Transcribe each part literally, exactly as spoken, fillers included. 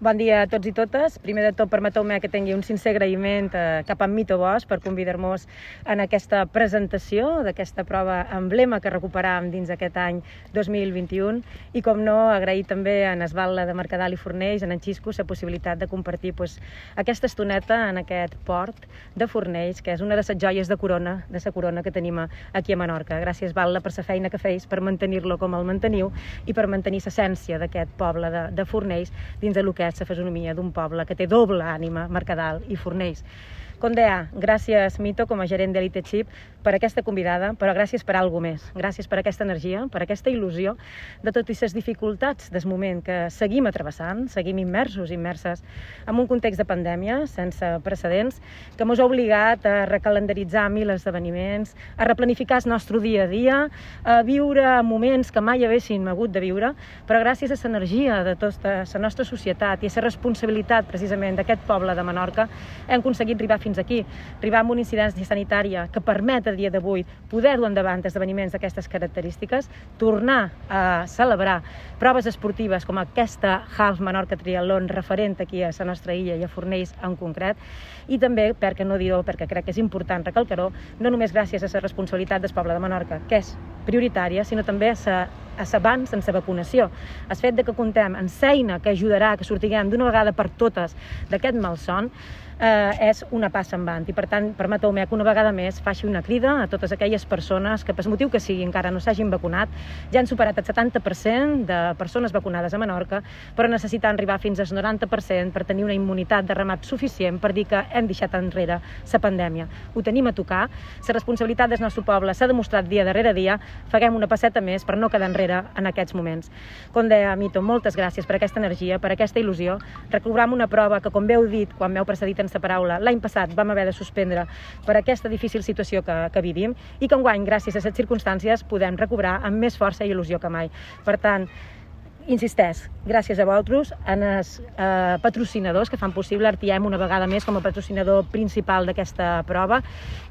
Bon dia a tots i totes. Primer de tot, permeteu-me que tingui un sincer agraïment eh, cap a Mito Bosch per convidar-nos en aquesta presentació d'aquesta prova emblema que recuperàvem dins aquest any dos mil vint-i-u i, com no, agrair també a Esbalda de Mercadal i Fornells, en Xisco, la possibilitat de compartir pues, aquesta estoneta en aquest port de Fornells, que és una de les joies de corona, de la corona que tenim aquí a Menorca. Gràcies, Esbalda, per la feina que feis, per mantenir-lo com el manteniu i per mantenir l'essència d'aquest poble de, de Fornells dins del que és la fisonomia d'un poble que té doble ànima, Mercadal i Fornells. Com deia, gràcies, Mito, com a gerent d'Elite Chip, per aquesta convidada, però gràcies per alguna més. Gràcies per aquesta energia, per aquesta il·lusió de tot i les dificultats del moment que seguim atrevessant, seguim immersos, immerses en un context de pandèmia sense precedents, que ens ha obligat a recalendaritzar mil esdeveniments, a replanificar el nostre dia a dia, a viure moments que mai haguéssim hagut de viure, però gràcies a l'energia de tota la nostra societat i a la responsabilitat, precisament, d'aquest poble de Menorca, hem aconseguit arribar fins aquí, arribar amb una incidència sanitària que permet a dia d'avui poder dur endavant esdeveniments d'aquestes característiques, tornar a celebrar proves esportives com aquesta Half Menorca Triatlon referent aquí a la nostra illa i a Fornells en concret, i també, per què no dir-ho, perquè crec que és important recalcar-ho, no només gràcies a la responsabilitat del poble de Menorca, que és prioritària, sinó també a la a l'abans en la vacunació. El fet de que contem amb eina que ajudarà que sortiguem d'una vegada per totes d'aquest malson eh, és una passa endavant. I per tant, permeteu-me que una vegada més faci una crida a totes aquelles persones que, per motiu que sigui, encara no s'hagin vacunat. Ja han superat el setanta per cent de persones vacunades a Menorca, però necessitant arribar fins al noranta per cent per tenir una immunitat de ramat suficient per dir que hem deixat enrere la pandèmia. Ho tenim a tocar. La responsabilitat del nostre poble s'ha demostrat dia darrere dia. Faguem una passeta més per no quedar enrere en aquests moments. Com deia, Mito, moltes gràcies per aquesta energia, per aquesta il·lusió. Recobram una prova que, com heu dit quan m'heu precedit en la paraula, l'any passat vam haver de suspendre per aquesta difícil situació que, que vivim i que enguany, gràcies a les circumstàncies, podem recobrar amb més força i il·lusió que mai. Per tant, insisteix, gràcies a vosaltres, en els eh, patrocinadors que fan possible R T M una vegada més com a patrocinador principal d'aquesta prova,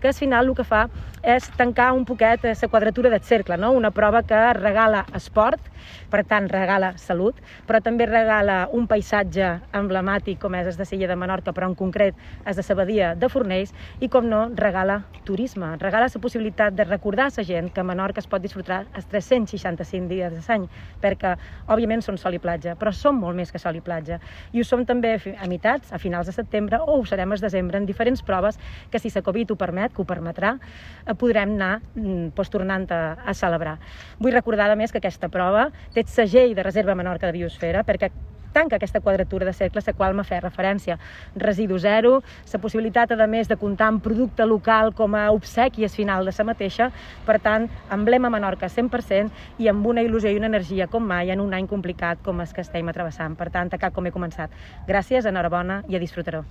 que al final el que fa és tancar un poquet la quadratura del cercle, no? Una prova que regala esport, per tant regala salut, però també regala un paisatge emblemàtic com és el de l'illa de Menorca, però en concret és de la badia de Fornells, i com no, regala turisme, regala la possibilitat de recordar a la gent que a Menorca es pot disfrutar els tres-cents seixanta-cinc dies de l'any, perquè, òbviament, són sol i platja, però som molt més que sol i platja. I ho som també a meitats, a finals de setembre, o ho serem al desembre, en diferents proves que, si la Covid ho permet, que ho permetrà, podrem anar doncs, tornant a, a celebrar. Vull recordar, a més, que aquesta prova té el segell de Reserva Menorca de Biosfera, perquè tanca aquesta quadratura de cercle a la qual m'ha fet referència. Residu zero, la possibilitat, a més, de comptar amb producte local com a obsequi al final de la mateixa, per tant, emblema Menorca cent per cent i amb una il·lusió i una energia com mai en un any complicat com el que estem atrevessant. Per tant, a cap com he començat. Gràcies, enhorabona i a disfrutar-ho.